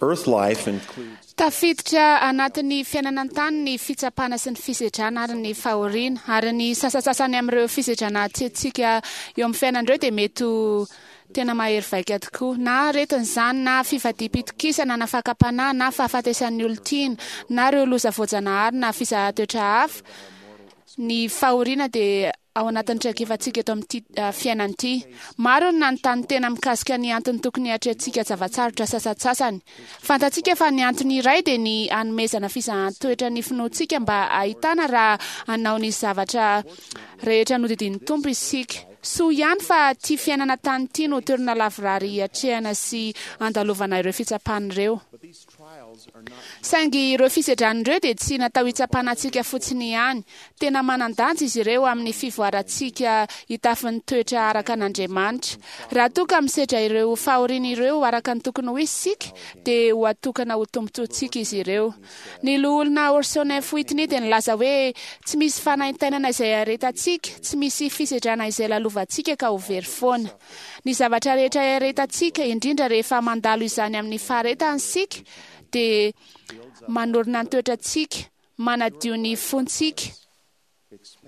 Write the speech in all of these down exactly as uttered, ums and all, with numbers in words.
Earth life includes Tafiditra anatin'ny fiainana an-tany ny fitsapana sy ny fisedrana ary ny fahoriana, ary ny sasantsasany amin'ireo fisedrana atrehintsika eo amin'ny fiainana ireo dia mety ho tena mahery vaika tokoa. Na aretina izany, na fivadiam-pitokisana, na fakam-panahy, na fahafatesan'ny olon-tiana, na ireo loza voajanahary, na fizahan-toetra hafa. Ny fahoriana dia ao anatin'ny traikefantsika eto amin'ity fiainana ity. Maro ny nanontany tena mikasika ny antony tokony hiatrehantsika zava-tsarotra sasantsasany. Fantatsika fa ny antony iray dia ny hanomezana fizahan-toetra ny finoantsika mba hahitana raha hanao ny zavatra rehetra nodidian'ny Tompo isika. Soa ihany fa ity fiainana tany ity no toerana lavorary hiatrehana sy handalovana ireo fitsapana ireo. Saingy ireo fisedrana ireo dia tsy natao hitsapana antsika fotsiny ihany. Tena manan-danja izy ireo amin'ny fivoarantsika hitafy ny toetra araka an'Andriamanitra. Raha toa ka misedra ireo fahoriana ireo araka ny tokony ho izy isika, dia ho atokana ho tombontsoantsika izy ireo. Ny Loholona Orson F. Whitney dia nilaza hoe, Tsy misy fanaintainana izay aretantsika, tsy misy fisedrana izay lalovantsika ka ho very foana. Ny zavatra rehetra iaretantsika, indrindra rehefa mandalo izany amin'ny faharetana isika, dia manorina ny toetrantsika, manadio ny fontsika,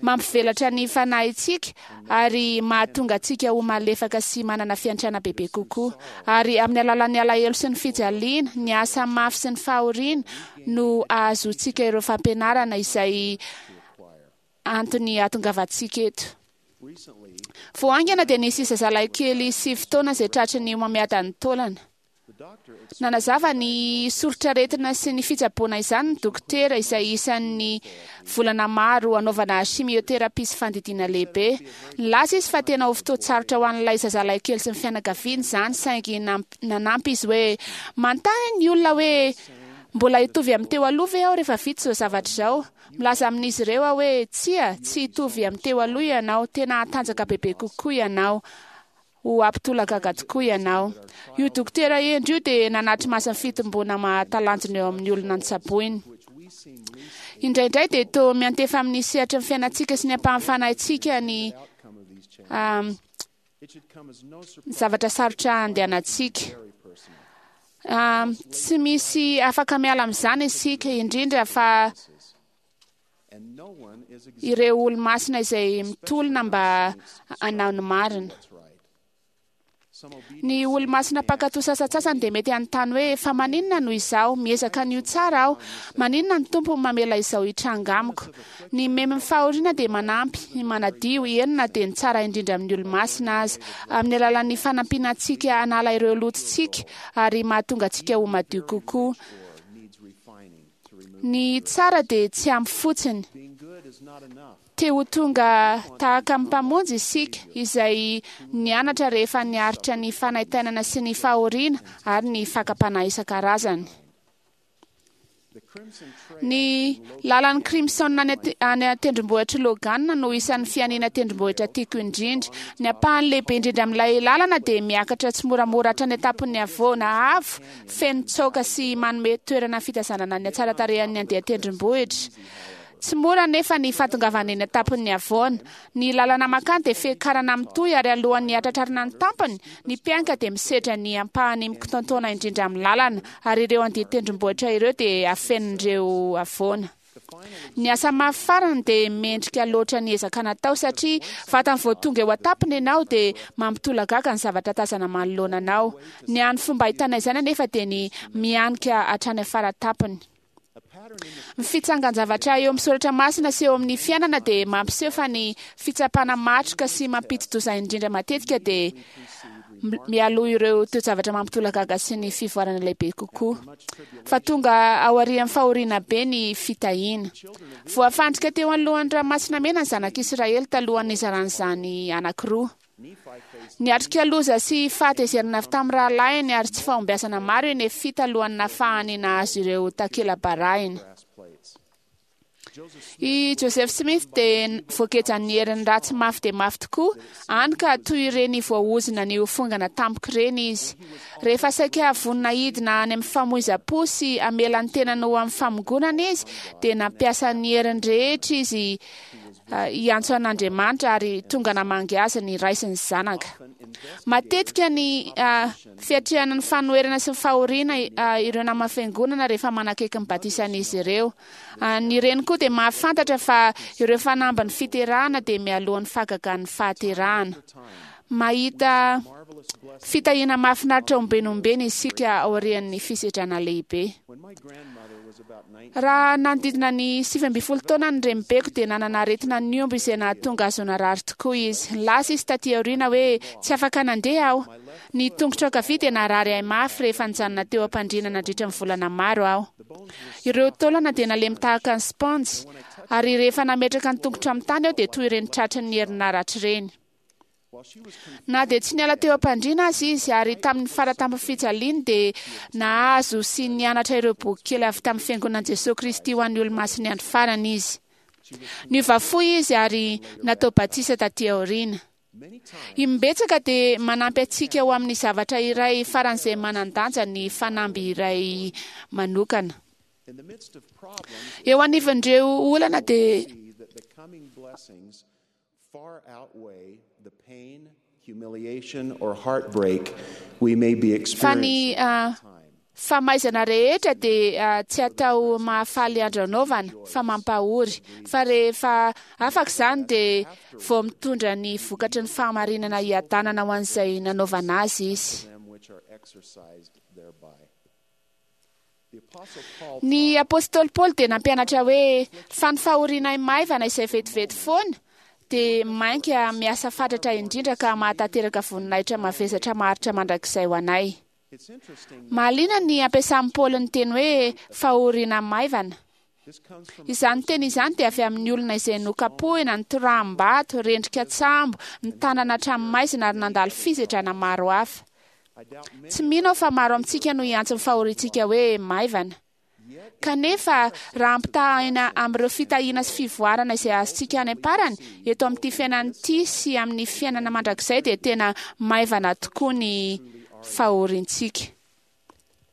mampivelatra ny fanahintsika, ary mahatonga antsika ho malefaka sy manana fiantrana bebe kokoa. Ary amin'ny alalan'ny alahelo sy ny fijaliana, ny asa mafy sy ny fahoriana, no ahazoantsika ireo fampianarana izay antony hahatongavantsika eto. Vao haingana dia nisy zazalahy kely sivy taona izay tratry ny homamiadan'ny taolana. Nanazava ny soritr'aretina sy ny fitsaboana izany ny dokotera, izay isan'ny volana maro hanaovana chimiothérapie sy fandidiana lehibe. Nilaza izy fa tena ho fotoan-tsarotra ho an'ilay zazalahy kely sy ny fianakaviany izany, saingy nanampy izy hoe, Manontany ny olona hoe, 'Mbola hitovy amin'ny teo aloha ve aho rehefa vita izao zavatra izao? Milaza amin'izy ireo aho hoe, 'Tsia, tsy hitovy amin'ny teo aloha ianao, tena hatanjaka bebe kokoa ianao. Ho hampitolagaga tokoa ianao. Io dokotera hendry io dia nanatri-maso ny fitomboana mahatalanjona eo amin'ny olona notsaboiny. Indraindray dia toa miantefa amin'ny sehatry ny fiainantsika sy ny ampahan'ny fanahintsika ny zavatra sarotra andehanantsika. Tsy misy afaka miala amin'izany isika, indrindra fa ireo olo-masina izay mitolona mba hanao ny marina. Ny olo-masina mpankatò sasantsasany dia mety hanontany hoe, 'Fa maninona no izaho? Miezaka ny ho tsara aho. Maninona ny Tompo no mamela izao hitranga amiko? Ny memin'ny fahoriana dia manampy, manadio, eny na dia ny tsara indrindra amin'ny olo-masina aza, amin'ny alalan'ny fanampiana antsika hanala ireo lotontsika ary mahatonga antsika ho madio kokoa. Ny tsara dia tsy ampy fotsiny. Te ho tonga tahaka ny Mpamonjy isika, izay nianatra rehefa niaritra ny fanaintainana sy ny fahoriana ary ny fakam-panahy isan-karazany. Ny lalan'ny Crimson any an-tendrombohitr'i Logan no isan'ny fihaniana tendrombohitra tiako indrindra. Ny ampahany lehibe indrindra amin'ilay lalana dia miakatra tsimoramora hatrany an-tampon'ny havoana avo, feno tsaoka sy manome toerana fitazanana ny hatsaran-tarehan'ny andian-tendrombohitra. Tsy mora anefa ny fahatongavana eny an-tampon'ny havoana. Ny lalana mankany dia fiakarana mitohy ary alohan'ny hahatratrarana ny tampony, ny mpianka dia misedra ny ampahany mikotoantoana indrindra amin'ny lalana, ary ireo andian-tendrombohitra ireo dia afenin'ireo havoana. Ny asa mafy farany dia mendrika loatra ny ezaka natao satria vatany vao tonga eo an-tampony ianao dia mampitolagaga ny zavatra tazana manoloana anao. Ny hany fomba ahitana izany anefa dia ny mihanika hatrany afara-tampony. Ny fitsangan-javatra eo amin'ny soratra masina sy eo amin'ny fiainana dia mampiseho fa ny fitsapana matroka sy mampidi-doza indrindra matetika dia mialoha ireo toe-javatra mampitolagaga sy ny fivoarana lehibe kokoa. Fa tonga aorian'ny fahoriana be ny fitahiana. Voafandrika teo anoloan'ny Ranomasina Mena ny Zanak'Isiraely talohan'ny nizarany izany anankiroa. Niatrika loza sy fahatezerana avy tamin'ny rahalahiny ary tsy fahombiazana maro i Nefia talohan'ny nahafahany nahazo ireo takela-barahina. I Joseph Smith dia voagejan'ny herin'ny ratsy mafy dia mafy tokoa, hany ka toy ireny voaozona ny ho fongana tampoka ireny izy. Rehefa saika vonona hidina any amin'ny famoizam-po sy hamela ny tenany ho amin'ny famongonana izy, dia nampiasa ny heriny rehetra izy hiantso an'Andriamanitra ary tonga namangy azy ny ray sy ny zanaka. Matetika ny fiatrehana ny fanoherana sy ny fahoriana ireo nama fiangonana rehefa manakaiky ny batisan'izy ireo. Ny reny koa dia mahafantatra fa ireo fanamby ny fiterahana dia mialohan'ny fahagagan'ny fahaterahana. Mahita fitahiana mahafinaritra ombenombeny isika aorian'ny fisedrana lehibe. Raha nanodidina ny sivy ambin'ny folo taona ny renibeko dia nanana aretina niombo izay nahatonga azy ho narary tokoa izy. Lasa izy taty aoriana hoe tsy afaka nandeha aho. Ny tongotro ankavia dia narary ahy mafy rehefa nijanona teo am-pandriana nandritra ny volana maro aho. Ireo taolana dia nalemy tahaka ny sponjy ary rehefa nametraka ny tongotro amin'ny tany aho dia toy ireny tratry ny herinaratra ireny. Na dia tsy niala teo am-pandriana azy izy ary tamin'ny faratampony fijaliany dia nahazo sy nianatra ireo boky kely avy tamin'ny fiangonan'i Jesosy Kristy ho an'ny olomasin'ny andro farany izy. Niova fo izy ary natao batisa taty aoriana. Imbetsaka dia manampy antsika ho amin'ny zavatra iray faran'izay manan-danja ny fanamby iray manokana. Eo anivon'ireo olana dia far outweigh the pain, humiliation, or heartbreak we may be fa ny experiencing at the time. famaizana rehetra dia tsy atao mahafaly andro anaovana fa mampahory, fa rehefa afaka izany dia vao mitondra ny vokatry ny fahamarinana hiadanana ho an'izay nanaovana azy izy. Them which are exercised thereby. The Apostle Paul Ny apôstôly Paoly dia nampianatra hoe fa ny fahorianay maivana izay vetivety foana dia mainka miasa fatratra indrindra ka mahatanteraka voninahitra mavesatra maharitra mandrakizay ho anay. It's interesting Mahaliana ny ampiasan'i Paoly ny teny hoe fahoriana maivana. this comes from Izany teny izany dia avy amin'ny olona izay nokapohina, nitoraham-bato, rendrika tsambo, nitanana hatramin'ny maizina ary nandalo fisedrana maro hafa. I doubt many Tsy mino aho fa maro amintsika no hiantso ny fahoriantsika hoe maivana. Kanefa raha ampitahaina amin'ireo fitahiana sy fivoarana izay azontsika any am-parany eto amin'ity fiainana ity sy amin'ny fiainana mandrakizay dia tena maivana tokoa ny fahoriantsika.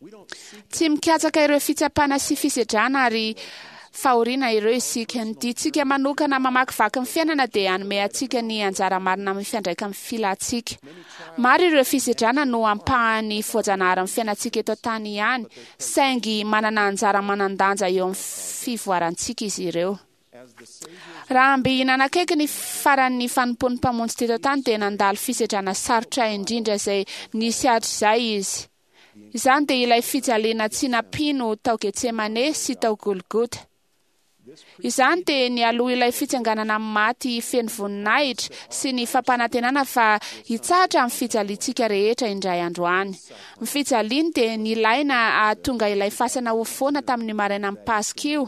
we don't seek Tsy mikatsaka ireo fitsapana sy fisedrana ary fahoriana ireo isika. Ny diantsika manokana mamakivaky ny fiainana dia hanome antsika ny anjara marina amin'ny fiandraika amin'ny filantsika. Maro ireo fisedrana no ampahany voajanahary amin'ny fiainantsika eto an-tany ihany, saingy manana anjara manan-danja eo amin'ny fivoarantsika izy ireo. as the Savior Raha mby nanakaiky ny faran'ny fanompoan'ny mpamonjy teto an-tany dia nandalo fisedrana sarotra indrindra izay nisy hatrizay izy. Izany dia ilay fijaliana tsy nampino tao Getsemane sy tao Golgota. Izany dia nialoha ilay fitsanganana amin'ny maty feno voninahitra sy ny fampanantenana fa hitsahatra amin'ny fijaliantsika rehetra indray andro any. Ny fijaliany dia nilaina hahatonga ilay fasana ho foana tamin'ny maraina amin'ny Paska io,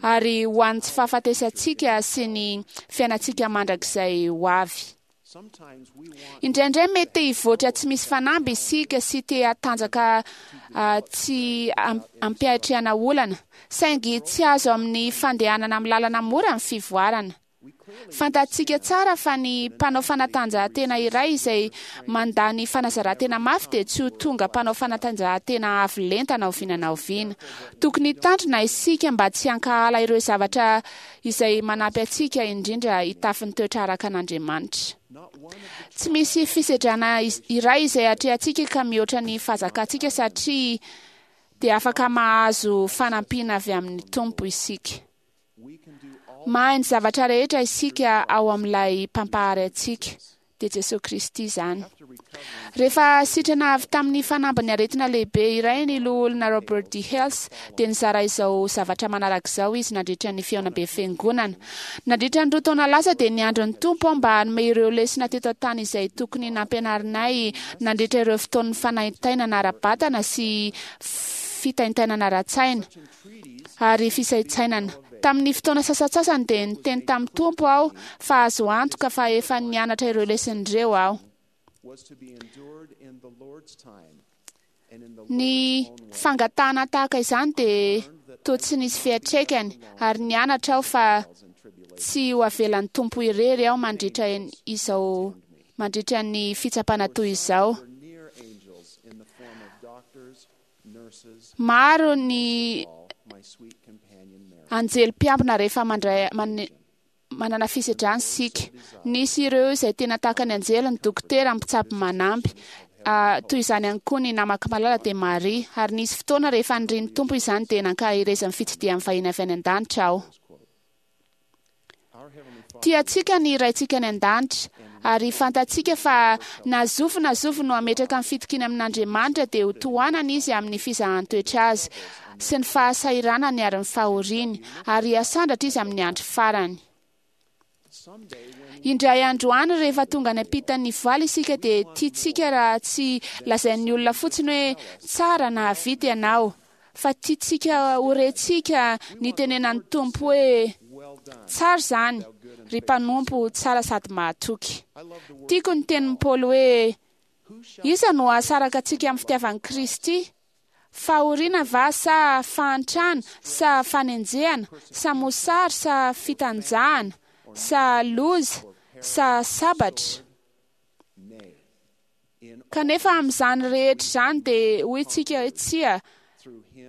ary ho an'ny tsy fahafatesantsika sy ny fiainantsika mandrakizay ho avy. sometimes we want Indraindray mety te hivoatra tsy misy fanamby isika sy te hatanjaka ah, tsy am- ampiatrehana olana, saingy tsy azo amin'ny fandehanana amin'ny lalana mora ny fivoarana. Fantatsika tsara fa ny mpanao fanatanjahantena iray izay mandany fanazaran-tena mafy dia tsy ho tonga mpanao fanatanjahantena avo lenta na oviana na oviana. Tokony hitandrina isika mba tsy hankahala ireo zavatra izay manampy antsika indrindra hitafy ny toetra araka an'Andriamanitra. not one of the Tsy misy fisedrana iz- iray izay atrehantsika ka mihoatra ny fahazakantsika satria dia afaka mahazo fanampiana avy amin'ny Tompo isika. we can do all Mahay ny zavatra rehetra isika ao amin'ilay mpampahary antsika, dia Jesosy Kristy izany. after recovering Rehefa sitrana avy tamin'ny fanambin'ny aretina lehibe iray ny loholona Robert D. Hales dia nizara izao zavatra manaraka izao izy nandritra ny fihaonambe fiangonana. Nandritra ny roa taona lasa dia niandry ny Tompo aho mba hanome ireo lesona teto an-tany izay tokony nampianarinay nandritra ireo fotoan'ny fanaintainana ara-batana sy fitaintainana ara-tsaina entreaties ary fisaintsainana. Tamin'ny fotoana sasantsasany dia niteny tamin'ny Tompo aho fa azo antoka fa efa nianatra ireo lesona ireo aho. was to be endured in the Lord's time and in the Ny Lord's own way. fangatahana tahaka izany dia toa tsy nisy fiantraikany ary nianatra aho fa Trials and tribulations. tsy ho avelan'ny Tompo irery aho mandritra izao mandritra ny fitsapana toy izao. Were near angels in the form of doctors, nurses, Maro ny all my sweet companion Mary. anjely mpiambina rehefa mandray mane- manana fisedrana isika. Nisy ireo izay tena tahaka ny anjely, ny dokotera, ny mpitsabo manampy. Toy izany ihany koa ny namako malala dia Maria. Ary nisy fotoana rehefa nirian'ny Tompo izany dia nankaherezan'ny fitsidihan'ny vahiny avy any an-danitra aho. Tiantsika ny Raintsika any an-danitra, ary fantatsika fa na zovy na zovy no hametraka ny fitokiana amin'Andriamanitra dia ho tohanana izy amin'ny fizahan-toetra azy sy ny fahasahiranany ary ny fahoriany, ary hasandratra izy amin'ny andro farany. Indray andro any rehefa tonga any ampitan'ny voaly isika dia tiantsika raha tsy lazain'ny olona fotsiny hoe tsara na vita ianao, fa tiantsika ho rentsika ny tenenan'ny Tompo hoe tsara izany, ry mpanompo tsara sady mahatoky. Tiako ny tenin'i Paoly hoe iza no hahasaraka antsika amin'ny fitiavan'i Kristy? Fahoriana va sa fahantrana sa fanenjehana sa mosary sa fitanjahana sa loza sa sabatra? Kanefa amin'izany rehetra izany dia hoy isika hoe tsia,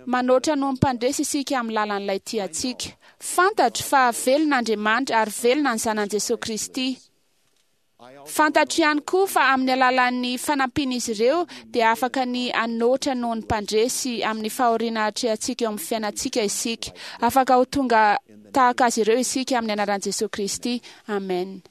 manoatra noho ny mpandresy isika amin'ny lalan'ilay tiantsika. Fantatro fa velona Andriamanitra ary velona ny zanany Jesosy Kristy. Fantatro ihany koa fa amin'ny alalan'ny fanampian'izy ireo dia afaka ny hanoatra noho ny mpandresy amin'ny fahoriana atrehantsika eo amin'ny fiainantsika isika. Afaka ho tonga tahaka azy ireo isika amin'ny anaran'i Jesosy Kristy. Amen.